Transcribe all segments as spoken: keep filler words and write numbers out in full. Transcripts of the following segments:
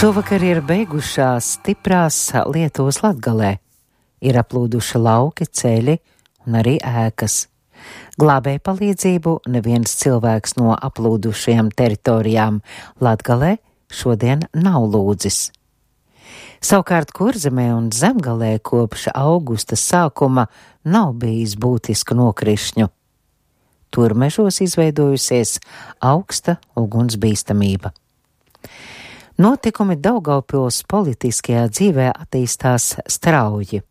Šovakar ir beigušās stiprās Lietuvas Latgalē. Ir aplūduši lauki, ceļi un arī ēkas. Glābēju palīdzību neviens cilvēks no aplūdušajām teritorijām Latgalē šodien nav lūdzis. Savukārt Kurzemē un Zemgalē kopš augusta sākuma nav bijis būtisku nokrišņu. Tur mežos izveidojusies augsta ugunsbīstamība. Notikumi Daugavpils politiskajā dzīvē attīstās strauji.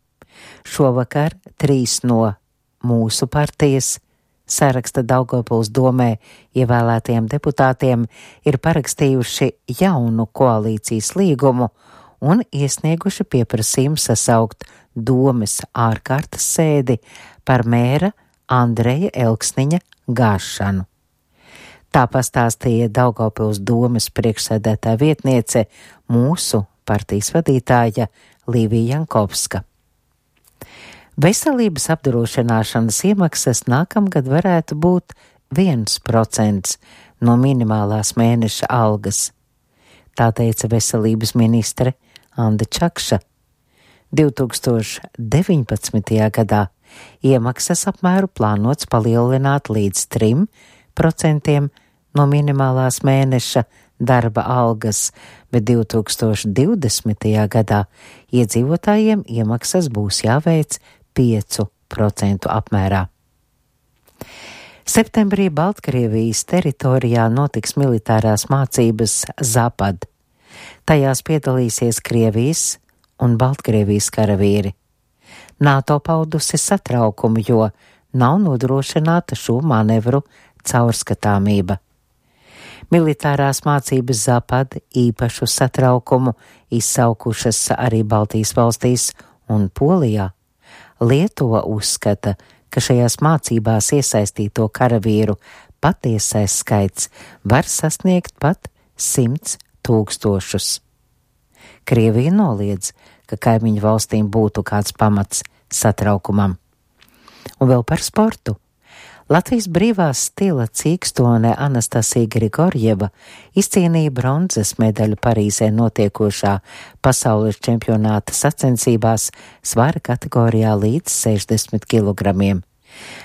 Šovakar trīs no mūsu partijas saraksta Daugavpils domē ievēlētiem deputātiem ir parakstījuši jaunu koalīcijas līgumu un iesnieguši pieprasījumu sasaukt domes ārkārtas sēdi par mēra Andreja Elksniņa gāšanu. Tā pastāstīja Daugavpils domes priekšsēdētāja vietniece, mūsu partijas vadītāja Līvija Jankovska. Veselības apdrošināšanas iemaksas nākamgad varētu būt viens procents no minimālās mēneša algas. Tā teica veselības ministre Anda Čakša. divi tūkstoši deviņpadsmitajā gadā iemaksas apmēru plānots palielināt līdz trim procentiem no minimālās mēneša darba algas, bet divi tūkstoši divdesmitajā gadā iedzīvotājiem iemaksas būs jāveic piecu procentu apmērā. Septembrī Baltkrievijas teritorijā notiks militārās mācības Zapad. Tajās piedalīsies Krievijas un Baltkrievijas karavīri. NATO paudusi satraukumu, jo nav nodrošināta šo manevru caurskatāmība. Militārās mācības Zapad īpašu satraukumu izsaukušas arī Baltijas valstīs un Polijā. Lietuva uzskata, ka šajās mācībās iesaistīto karavīru patiesais skaits var sasniegt pat simts tūkstošus. Krievija noliedz, ka kaimiņu valstīm būtu kāds pamats satraukumam. Un vēl par sportu. Latvijas brīvās stila cīkstone Anastasija Grigorjeva izcīnīja bronzas medaļu Parīzē notiekošā pasaules čempionāta sacensībās svara kategorijā līdz sešdesmit kilogramiem.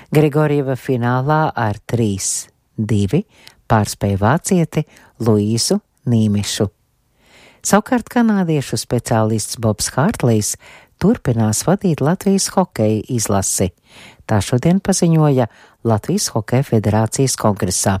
Grigorjeva finālā ar trīs divi pārspēja vācieti Luīsu Nīmišu. Savukārt kanādiešu speciālists Bobs Hārtlīs turpinās vadīt Latvijas hokeja izlasi. Tā šodien paziņoja Latvijas Hokeja federācijas kongresā.